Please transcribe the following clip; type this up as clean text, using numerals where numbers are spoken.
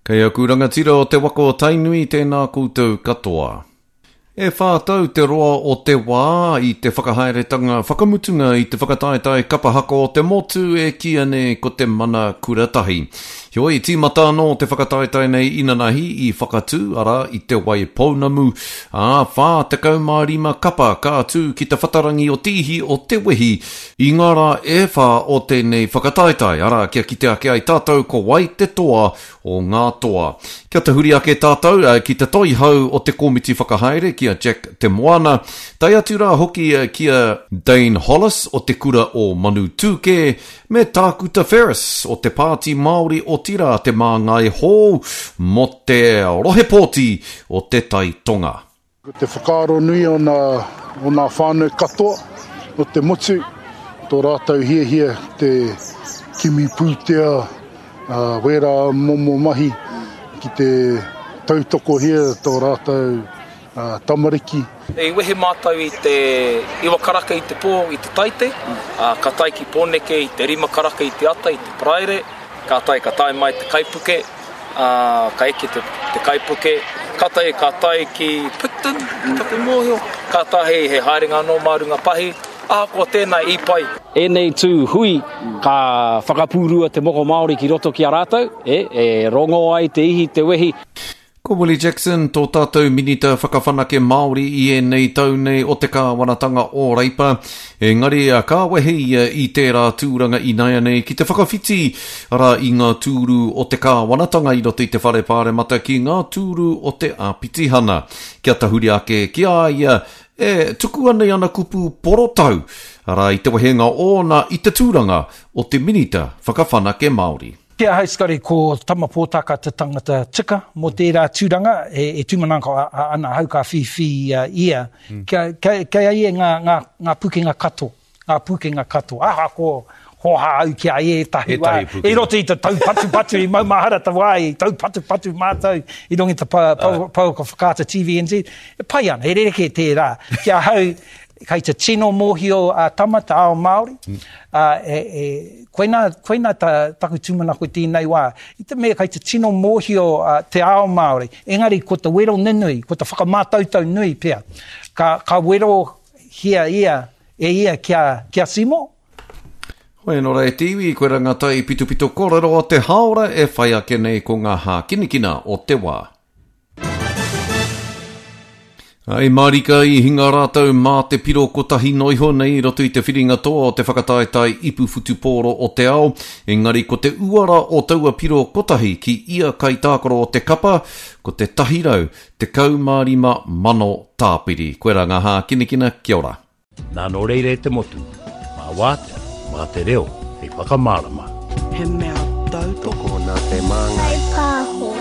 Kei aku rangatira o te waka o Tainui, tēnā koutou katoa. E whā tau te roa o te wā i te whakahaeretanga whakamutunga i te whakataetae kapa haka o te motu e kīia nei ko te Mana Kura Tahi. Heoi, tīmata anō te whakataetae nei inanahi i Whakatū, arā, i Te Wai Pounamu, ā, 45 kapa ka tū ki te whatarangi o te ihi o Te Wehi i ngā rā e whā o tēnei whakataetae, arā, kia kite ake ai tātou ko wai te toa o ngā toa. Kia tahuri ake tātou ki te toihau o te komiti whakahaere ki a Jack Te Moana, tae atu rā hoki ki a Dane Hollis o te kura o Manutūkē, me Tākuta Ferris o te Pāti Māori otirā te māngai hou mō te rohe pōti o Te Tai Tonga. Ko te whakaaro nui o nā, o nā whānau katoa o te motu, tō rātou hiahia te kimi pūtea, ā, wērā momo mahi ki te tautokohia tō rātou tamariki. I wehe mātou i te iwa karaka i te pō i te Taite, ā, ka tae ki Pōneke i te rima karaka i te ata i te Paraire, kātahi ka tae mai te kaipuke, ā, ka eke te, te kaipuke, kātahi ka tae ki Picton, ki taku mōhio, kātahi he haerenga anō mā runga pahi, ahakoa tēnā i pai. Ēnei tū hui ka whakapūrua te moko Māori ki roto ki a rātou, e, e rongo ai te ihi, te wehi. Ko Willie Jackson tō tātou Minita Whakawhanake Māori i ēnei tau nei o te kāwanatanga o Reipa, engari ka wehe ia i tērā tūranga inaianei ki te whakawhiti, arā, i ngā tūru o te kāwanatanga i roto i te Whare Pāremata ki ngā tūru o te Āpitihana. Kia tahuri ake ki a ia e tuku ana i ana kupu porotau, arā, i te wehenga ōna i te tūranga o te Minita Whakawhanake Māori. Ki ahau Scotty, ko Tama Pōtaka te tangata tika mō tērā tūranga, e tūmanako ana ahau ka whiwhi ia, kia, kei a ia ngā, ngā, ngā pukenga katoa, ngā pukenga katoa, ahakoa hōhā au ki a ia ētahi wā, i roto i te taupatupatu, i maumahara te wā, i taupatupatu mātou i runga i te pouaka whakaata TVNZ, e pai ana, he rerekē tērā, ki ahau, Kei te tino mōhio a Tama te ao Māori, ā, e, e, koinā, koinā ta, taku tūmanako i tēnei wā. I te mea kei te tino mōhio a, te ao Māori, engari ko te wero nunui, ko te whakamātautau nui pea, ka, ka werohia ia e ia ki a, ki a Seymour. Hoi anō rā e te iwi, koirā ngā taipitopito kōrero o te hāora e whai ake nei ko ngā hākinakina o te wā. I mārika i hinga rātou mā te piro kotahi noa iho nei i roto i te whiringa toa o te whakataetae ipu whutupōro o te ao, engari ko te uara o taua piro kotahi ki ia kaitākaro o te kapa, ko te 115,000 tāpiri. Koirā ngā hākinakina, kia ora. Nā nō reira e te motu, mā wātea, mā te reo hei whakamārama. He mea tautoko. Tokona te māngai. Kaipāho.